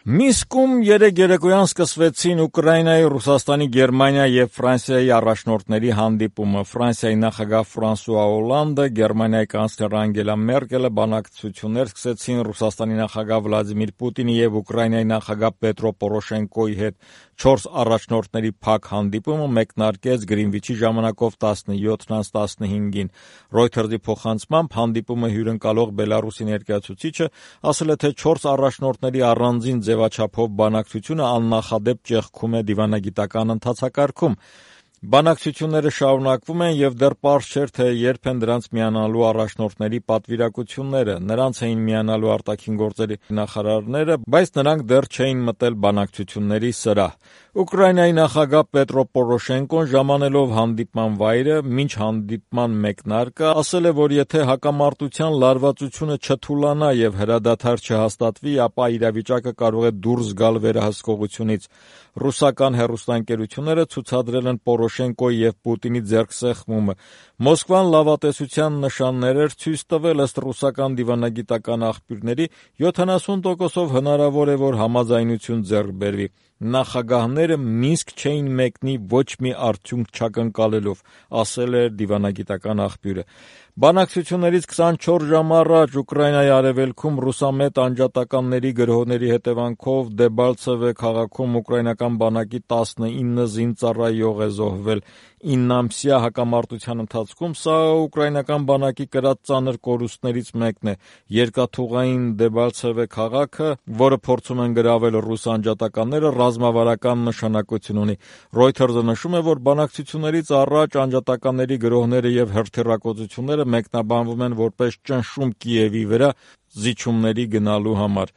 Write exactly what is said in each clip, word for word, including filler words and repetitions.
Մինսկում երեկ երեկոյան սկսվեցին Ուկրաինայի, Ռուսաստանի, Գերմանիայի և Ֆրանսիայի առաջնորդների հանդիպումը։ Ֆրանսիայի նախագահ Ֆրանսուଆ Օլանդը, Գերմանիայի կանցլեր Անգելա Մերկելը բանակցություններ սկսեցին Ռուսաստանի նախագահ Վլադիմիր Պուտինի և Ուկրաինայի նախագահ Պետրո Պորոշենկոյի հետ։ Չորս առաջնորդների փակ հանդիպումը մեկնարկեց Գրինվիչի ժամանակով տասնյոթ տասնհինգին։ Reuters-ի փոխանցմամբ հանդիպումը հյուրընկալող Բելարուսի ներկայացուցիչը ասել է, թե չորս առաջնորդների առանձին ձևաչափով բանակցությունը աննախադեպ ճեղքում է դիվանագիտական ընթացակարգում։ Բանակցությունները շարունակվում են և դեռ պարզ չէր, թե երբ են դրանց միանալու առաջնորդների պատվիրակությունները։ Նրանց էին միանալու արտաքին գործերի նախարարները, բայց նրանք դեռ չէին մտել բանակցությունների սրահ։ Ուկրաինայի նախագահ Պետրո Պորոշենկոն, ժամանելով հանդիպման վայրը, մինչ հանդիպման մեկնարկը, ասել է, որ եթե հակամարտության լարվածությունը չթուլանա և հրադադար չհաստատվի, ապա իրավիճակը կարող է դուրս գալ վերահսկողությունից։ Ռուսական հեռուստաընկերությունները ցուցադրել են Պորոշենկոյի և Պուտինի ձեռքսեղմումը։ Մոսկվան լավատեսության նշաններ էր ցույց տվել, ըստ ռուսական դիվանագիտական աղբյուրների, յոթանասուն տոկոսով հնարավոր է, որ համաձայնություն ձեռք բերվի։ Նախագահները Մինսկ չէին մեկնի ոչ մի արդյունք չակնկալելով, ասել է դիվանագիտական աղբյուրը։ Բանակցություններից քսանչորս ժամ առաջ Ուկրաինայի արևելքում ռուսամետ անջատականների գրոհների հետևանքով Դեբալցևե քաղաքում ուկրաինական բանակի տասնինը զինծառայող է զոհվել։ Իննամսյա հակամարտության ընթացքում սա ուկրաինական բանակի կրած ծանր կորուստներից մեկն է։ Երկաթուղային Դեբալցևե քաղաքը, որը փորձում են գրավել ռուս անջատականները, ռազմավարական նշանակություն ունի։ Reuters-ը նշում է, որ բանակցություններից առաջ անջատականների գրոհները և հրթիռակոծությունները մեկնաբանվում են որպես ճնշում Կիևի վրա զիջումների գնալու համար։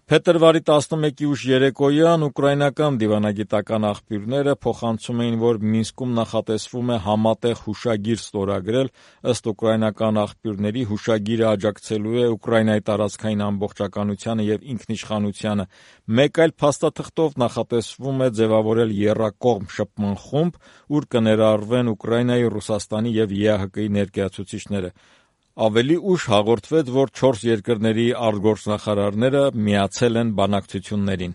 Փետրվարի տասնմեկի ուշ երեկոյան ուկրաինական դիվանագիտական աղբյուրները փոխանցում էին, որ Մինսկում նախատեսվում է համատեղ հուշագիր ստորագրել։ Ըստ ուկրաինական աղբյուրների, հուշագիրը աջակցելու է Ուկրաինայի տարածքային ամբողջականությանը և ինքնիշխանությանը։ Մեկ այլ փաստաթղթով նախատեսվում է ձևավորել եռակողմ շփման խումբ, ուր կներառվեն Ուկրաինայի, Ռուսաստանի և ԵԱՀԿ-ի ներկայացուցիչները։ Ավելի ուշ հաղորդվեց, որ չորս երկրների արտգործնախարարները միացել են բանակցություններին։